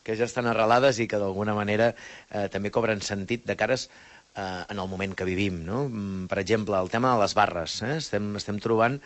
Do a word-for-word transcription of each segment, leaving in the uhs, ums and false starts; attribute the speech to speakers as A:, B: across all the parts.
A: que ja estan arrelades i que d'alguna manera eh, també cobren sentit de cares eh, en el moment que vivim, no? Per exemple, el tema de les barres. Eh? Estem, estem trobant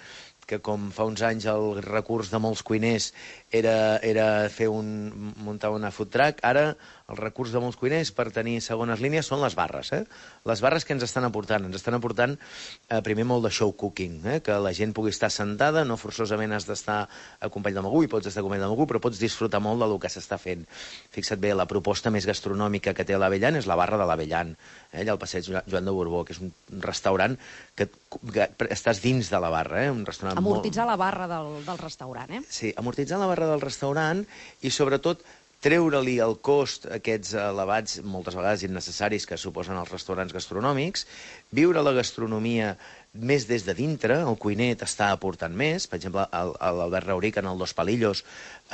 A: que com fa uns anys el recurs de molts cuiners era, era fer un, muntar una food truck, ara el recurs de molts cuiners per tenir segones línies són les barres. Eh? Les barres que ens estan aportant? Ens estan aportant eh, primer molt de show cooking, eh? Que la gent pugui estar sentada, no forçosament has d'estar acompanyat amb algú, i pots estar acompanyat amb algú, però pots disfrutar molt del que s'està fent. Fixa't bé, la proposta més gastronòmica que té l'Avellan és la barra de l'Avellan, eh? Allà al passeig Joan de Borbó, que és un restaurant que, que estàs dins de la barra, eh? Un restaurant
B: amortitzar
A: molt...
B: la barra del, del restaurant, eh?
A: Sí, amortitzar la barra del restaurant i, sobretot, treure-li el cost, aquests elevats, moltes vegades innecessaris, que suposen els restaurants gastronòmics, viure la gastronomia més des de dintre, el cuiner t'està aportant més. Per exemple, l'Albert Rauric en el Dos Palillos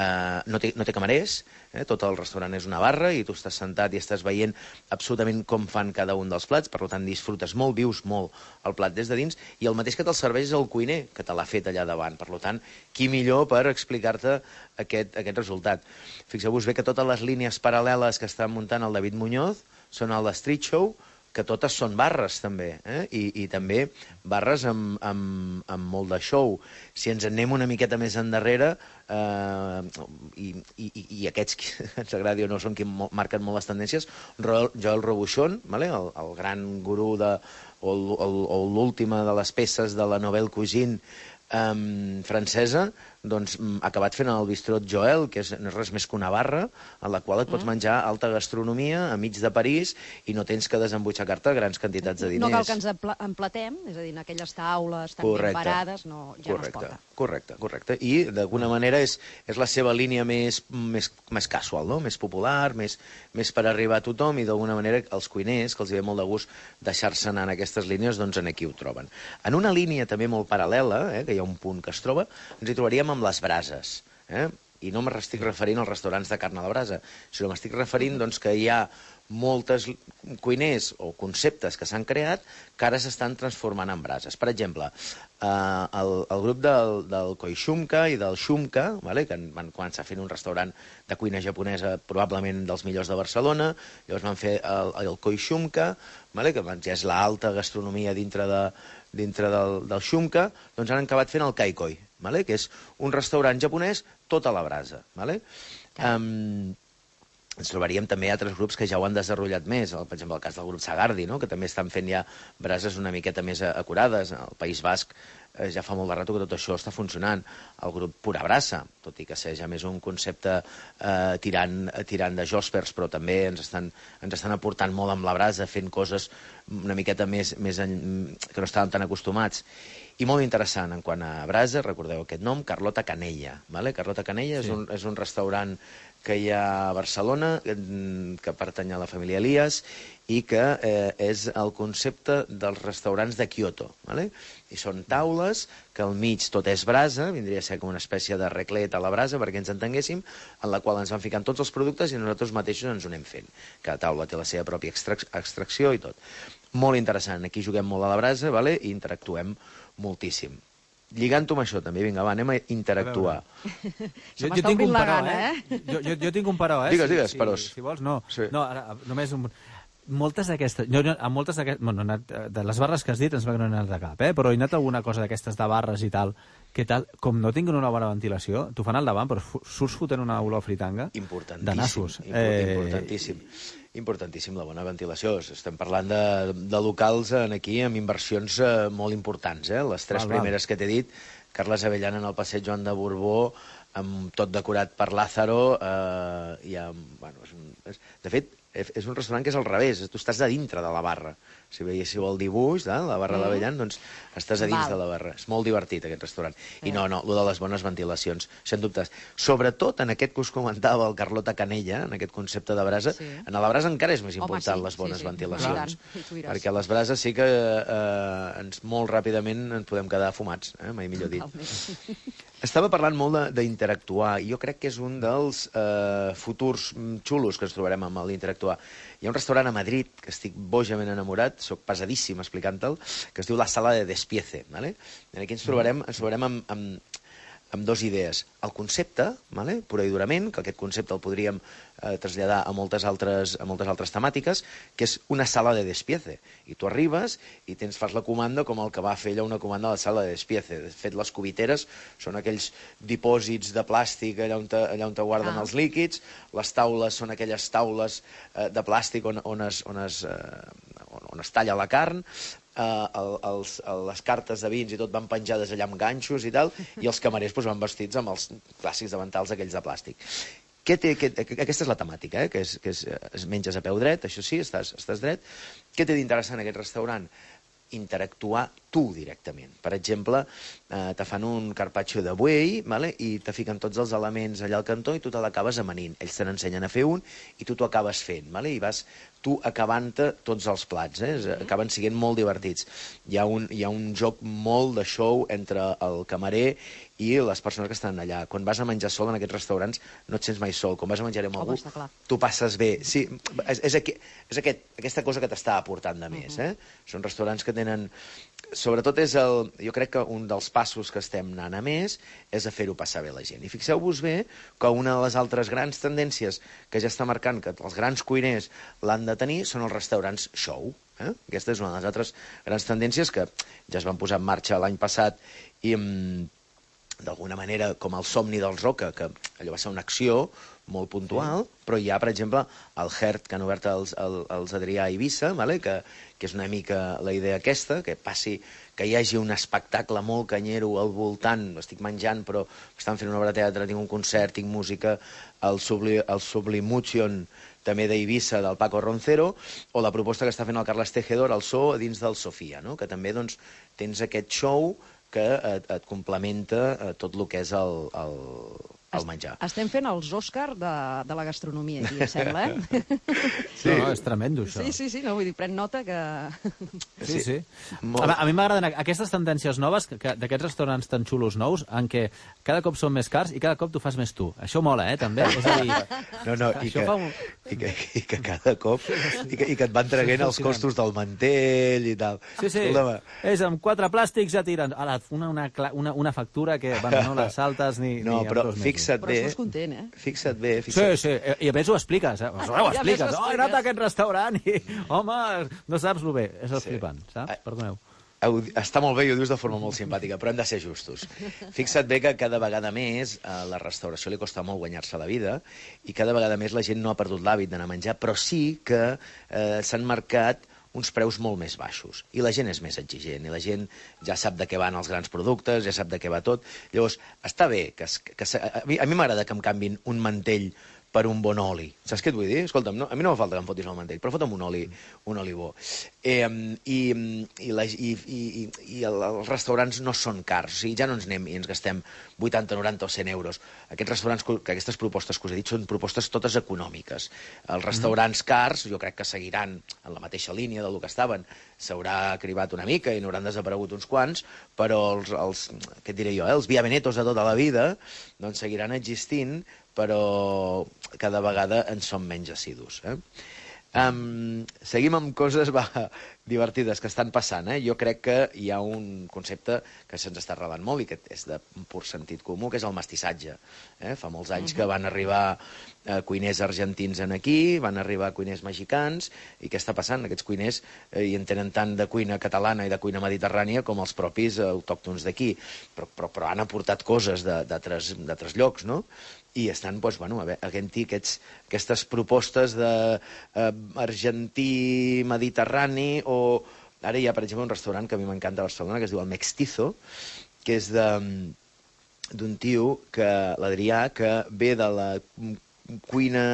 A: eh, no, té, no té camarers, eh? Tot el restaurant és una barra i tu estàs sentat i estàs veient absolutament com fan cada un dels plats, per tant disfrutes molt, vius molt el plat des de dins, i el mateix que te'l serveix és el cuiner, que te l'ha fet allà davant. Per tant, qui millor per explicar-te aquest, aquest resultat. Fixeu-vos bé que totes les línies paral·leles que està muntant el David Muñoz són a l'Street Show, que totes són barres, també, eh? I, i també barres amb, amb, amb molt de show. Si ens en anem una miqueta més endarrere, eh, i, i, i aquests que ens agradi o no són qui marquen molt les tendències, Joel Robuchon, vale? el, el gran gurú de, o, o, o l'última de les peces de la Nouvelle Cuisine um, francesa, doncs ha acabat fent el bistrot Joel, que és, no és res més que una barra en la qual et pots menjar alta gastronomia a mig de París i no tens que desembutxacar-te grans quantitats de diners.
B: No cal que ens emplatem, és a dir, en aquelles taules tan ben parades, no, ja
A: correcte,
B: no es pot.
A: Correcte, correcte. I d'alguna manera és, és la seva línia més, més, més casual, no? Més popular, més, més per arribar a tothom, i d'alguna manera els cuiners, que els hi ve molt de gust deixar-se anar en aquestes línies, doncs en aquí ho troben. En una línia també molt paral·lela, eh, que hi ha un punt que es troba, ens hi trobaríem amb les brases, eh? I no m'estic referint als restaurants de carn a la brasa, sinó m'estic referint doncs, que hi ha moltes cuiners o conceptes que s'han creat que ara s'estan transformant en brases. Per exemple, eh, el, el grup del, del Koishumka i del Shumka, vale, que van començar fent un restaurant de cuina japonesa probablement dels millors de Barcelona, llavors van fer el, el Koishumka, vale, que ja és l'alta gastronomia dintre, de, dintre del, del Shumka, doncs han acabat fent el Kaikoi, vale, que és un restaurant japonès tot a la brasa. Vale? Um, ens trobaríem també altres grups que ja ho han desenvolupat més, per exemple el cas del grup Sagardi, no? Que també estan fent ja brases una miqueta més acurades. Al País Basc eh, ja fa molt de rato que tot això està funcionant. El grup Pura Brasa, tot i que sigui ja més un concepte eh, tirant, tirant de jospers, però també ens estan, ens estan aportant molt amb la brasa, fent coses una miqueta més, més en, que no estàvem tan acostumats. I molt interessant en quant a brasa, recordeu aquest nom, Carlota Canella. Vale? Carlota Canella sí. és, un, és un restaurant que hi ha a Barcelona, que pertany a la família Elias, i que eh, és el concepte dels restaurants de Kyoto. Vale? I són taules que al mig tot és brasa, vindria a ser com una espècie de reclet a la brasa, perquè ens entenguéssim, en la qual ens van ficant tots els productes i nosaltres mateixos ens ho anem fent. Cada taula té la seva pròpia extrac extracció i tot. Molt interessant. Aquí juguem molt a la brasa, vale? I interactuem moltíssim. Lligant-ho amb això, també, vinga, va, anem a interactuar.
B: Jo, jo tinc un però, eh?
C: Jo, jo, jo tinc un però, eh?
A: Digues, digues,
C: si,
A: peròs.
C: Si, si vols, no.
A: Sí.
C: No, ara, només un... Moltes d'aquestes... Jo, a moltes d'aquestes... Bueno, de les barres que has dit ens va que no he anat de cap, eh? Però he anat alguna cosa d'aquestes de barres i tal, que tal, com no tinguin una bona ventilació, t'ho fan al davant, però surts fotent una olor fritanga de nassos.
A: Import, eh... Importantíssim. Importantíssim la bona ventilació. Estem parlant de, de locals en aquí amb inversions eh, molt importants. Eh? Les tres val, primeres val. que t'he dit, Carles Avellan en el passeig Joan de Borbó, amb tot decorat per Lázaro, eh, i amb, bueno, és un, és, de fet, és un restaurant que és al revés, tu estàs a dintre de la barra. Si veiéssiu el dibuix de la barra mm. d'Avellan, doncs estàs a dins Val. de la barra. És molt divertit, aquest restaurant. I eh. no, no, el de les bones ventilacions, sens dubtes. Sobretot en aquest que us comentava el Carlota Canella, en aquest concepte de brasa, sí. en la brasa encara és més important Home, sí, les bones sí, sí. ventilacions. Sí, perquè a les brases sí que eh, ens, molt ràpidament ens podem quedar fumats, eh? Mai millor dit. Estava parlant molt d'interactuar, i jo crec que és un dels eh, futurs xulos que ens trobarem amb l'interactuar. Hi ha un restaurant a Madrid, que estic bojament enamorat, soc pesadíssim explicant-te'l, que es diu La Sala de Despiece. ¿Vale? Aquí ens trobarem, ens trobarem amb, amb, amb dues idees. El concepte, vale? Pura i durament, que aquest concepte el podríem eh, traslladar a moltes, altres, a moltes altres temàtiques, que és una sala de despiece. I tu arribes i tens, fas la comanda com el que va fer allà una comanda a la sala de despiece. De fet, les cubiteres són aquells dipòsits de plàstic allà on, te, allà on te guarden ah. els líquids, les taules són aquelles taules eh, de plàstic on, on, es, on, es, eh, on es talla la carn, Uh, el, els, les cartes de vins i tot van penjades allà amb ganxos i tal, i els camarers doncs, van vestits amb els clàssics davantals aquells de plàstic. Què té, que, aquesta és la temàtica, eh? que, és, que és, es menges a peu dret, això sí, estàs, estàs dret. Què té d'interessant aquest restaurant? Interactuar tu directament. Per exemple, eh, te fan un carpaccio de buey, vale? I te fiquen tots els elements allà al cantó i tu te l'acabes amanint. Ells te n'ensenyen a fer un i tu t'ho acabes fent, vale? I vas tu acabant-te tots els plats, eh? Acaben sent molt divertits. Hi ha, un, hi ha un joc molt de show entre el camarer i les persones que estan allà. Quan vas a menjar sol en aquests restaurants no et sents mai sol. Quan vas a menjar amb algú,
B: oh,
A: tu passes bé. Sí, és, és, aqu és aquest, aquesta cosa que t'està aportant de més. Eh? Són restaurants que tenen... Sobretot és el... Jo crec que un dels passos que estem anant a més és a fer-ho passar bé la gent. I fixeu-vos bé que una de les altres grans tendències que ja està marcant que els grans cuiners l'han de tenir són els restaurants show. Eh? Aquesta és una de les altres grans tendències que ja es van posar en marxa l'any passat i d'alguna manera com el somni dels Roca, que allò va ser una acció molt puntual, sí. Però hi ha, per exemple, el Hert, que han obert els, els, els Adrià a Eivissa, vale? que, que és una mica la idea aquesta, que passi, que hi hagi un espectacle molt canyero al voltant, estic menjant, però estan fent una obra de teatre, tinc un concert, tinc música, el, Subli, el Sublimution, també d'Eivissa, del Paco Roncero, o la proposta que està fent el Carles Tejedor, el So, dins del Sofia, no? Que també doncs, tens aquest show que et, et complementa tot el que és el, el, el menjar.
B: Estem fent els Òscar de, de la gastronomia, aquí, em sembla, eh?
C: Sí. No, no, és tremendo, això.
B: Sí, sí, sí, no, vull dir, pren nota que...
C: Sí, sí. Molt... A, a mi m'agraden aquestes tendències noves, d'aquests restaurants tan xulos nous, en què cada cop són més cars i cada cop t'ho fas més tu. Això mola, eh, també? És a dir...
A: No, no, i que, un... i, que, i que cada cop... I que, i que et van traguent els costos del mantell i tal.
C: Sí, sí. Escolta'm. És amb quatre plàstics ja tiren. Ara, una, una, una, una factura que, bueno, no la saltes ni...
A: No,
C: ni
A: però fixa't bé...
B: Però estàs content, eh?
A: Fixa't bé, fixa't...
C: Sí, sí, i a més ho expliques, eh? Ho expliques. Oh, he anat a aquest restaurant i, home, no saps lo bé. És el flipant, saps? Perdoneu.
A: Està molt bé i ho dius de forma molt simpàtica, però hem de ser justos. Fixa't bé que cada vegada més a la restauració li costa molt guanyar-se la vida i cada vegada més la gent no ha perdut l'hàbit d'anar a menjar, però sí que eh, s'han marcat uns preus molt més baixos. I la gent és més exigent, i la gent ja sap de què van els grans productes, ja sap de què va tot. Llavors, està bé que... que, que a mi, a mi m'agrada que em canvin un mantell per un bon oli. Saps què et vull dir? Escolta'm, no, a mi no fa falta que em fotis el mantell, però fota'm un oli, un oli bo. Eh, i, i, la, i, i, i el, els restaurants no són cars, o sigui, ja no ens anem i ens gastem vuitanta, noranta o cent euros. Aquests restaurants, que aquestes propostes que us he dit, són propostes totes econòmiques. Els restaurants cars, jo crec que seguiran en la mateixa línia del que estaven, s'haurà cribat una mica i n'hauran desaparegut uns quants, però els, els què et diré jo, eh, els Via Venetos de tota la vida, doncs seguiran existint, però cada vegada en som menys assidus. Eh? Um, seguim amb coses va, divertides que estan passant. Eh? Jo crec que hi ha un concepte que se'ns està arrelant molt i que és de pur sentit comú, que és el mestissatge. Eh? Fa molts anys que van arribar eh, cuiners argentins en aquí, van arribar cuiners mexicans, i què està passant? Aquests cuiners eh, hi entenen tant de cuina catalana i de cuina mediterrània com els propis eh, autòctons d'aquí, però, però, però han aportat coses d'altres llocs, no? I estan, doncs, bueno, havent-hi aquestes propostes d'argentí, mediterrani, o... Ara hi ha, per exemple, un restaurant que a mi m'encanta a Barcelona, que es diu el Mextizo, que és d'un tio, que l'Adrià, que ve de la cuina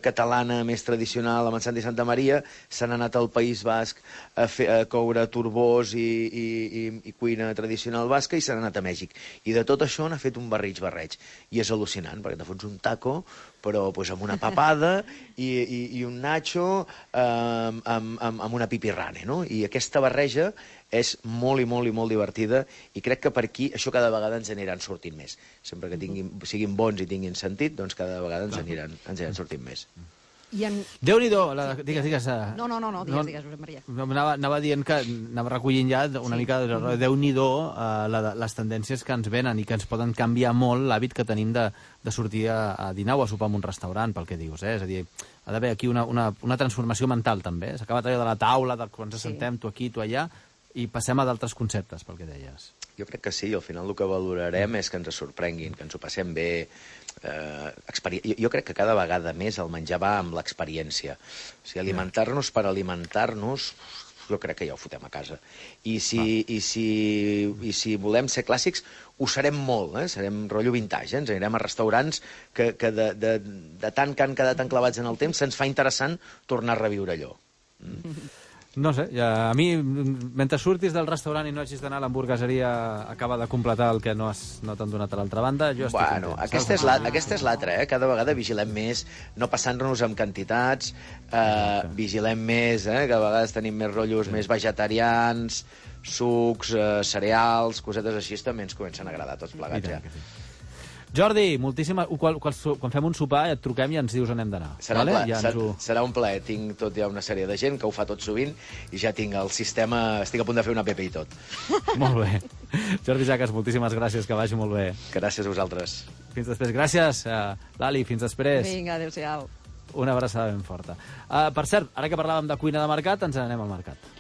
A: catalana més tradicional, amb en Santi Santa Maria, s'han anat al País Basc a, fer, a coure turbós i, i, i, i cuina tradicional basca, i s'han anat a Mèxic. I de tot això n'ha fet un barrig barreig. I és al·lucinant, perquè te fots un taco, però pues, amb una papada i, i, i un nacho eh, amb, amb, amb una pipirrane, no? I aquesta barreja és molt i molt i molt divertida, i crec que per aquí això cada vegada ens aniran sortint més. Sempre que tinguin, siguin bons i tinguin sentit, doncs cada vegada ens aniran, ens aniran sortint més.
B: En...
C: Déu-n'hi-do, la... sí, digues, digues. Uh...
B: No, no, no, no, digues, no, digues, Josep Maria.
C: Anava, anava dient que anava recollint ja una sí. mica de Déu-n'hi-do uh, la, les tendències que ens venen i que ens poden canviar molt l'hàbit que tenim de, de sortir a, a dinar o a sopar en un restaurant, pel que dius, eh? És a dir, ha d'haver aquí una, una, una transformació mental, també. S'ha acabat allò de la taula, de quan ens sí. assentem, tu aquí, tu allà, i passem a d'altres conceptes, pel que deies.
A: Jo crec que sí, al final el que valorarem és que ens sorprenguin, que ens ho passem bé. Eh, experi... jo, jo crec que cada vegada més el menjar va amb l'experiència. O sigui, alimentar-nos per alimentar-nos, jo crec que ja ho fotem a casa. I si, ah. i si, i si volem ser clàssics, ho serem molt, eh? Serem rotllo vintage, eh? Ens anirem a restaurants que, que de, de, de tant que han quedat enclavats en el temps se'ns fa interessant tornar a reviure allò. Mm.
C: No sé, ja, a mi, mentre surtis del restaurant i no hagis d'anar a l'hamburgueseria, acaba de completar el que no, has, no t'han donat a l'altra banda, jo estic
A: bueno, content. Aquesta és, la, aquesta és l'altra, eh? Cada vegada vigilem més, no passant-nos amb quantitats, eh, vigilem més, eh? Que a vegades tenim més rotllos sí. més vegetarians, sucs, eh, cereals, cosetes així, també ens comencen a agradar tots plegats ja. Sí.
C: Jordi, moltíssima... Quan, quan, quan fem un sopar et truquem i ens dius on hem d'anar.
A: Serà,
C: vale?
A: ja serà, ho... serà un plaer. Tinc tot ja una sèrie de gent que ho fa tot sovint i ja tinc el sistema... Estic a punt de fer una app i tot.
C: Molt bé. Jordi Jaques, moltíssimes gràcies, que vagi molt bé.
A: Gràcies a vosaltres.
C: Fins després. Gràcies, uh, Lali, fins després.
B: Vinga, adéu-siau.
C: Una abraçada ben forta. Uh, per cert, ara que parlàvem de cuina de mercat, ens n'anem al mercat.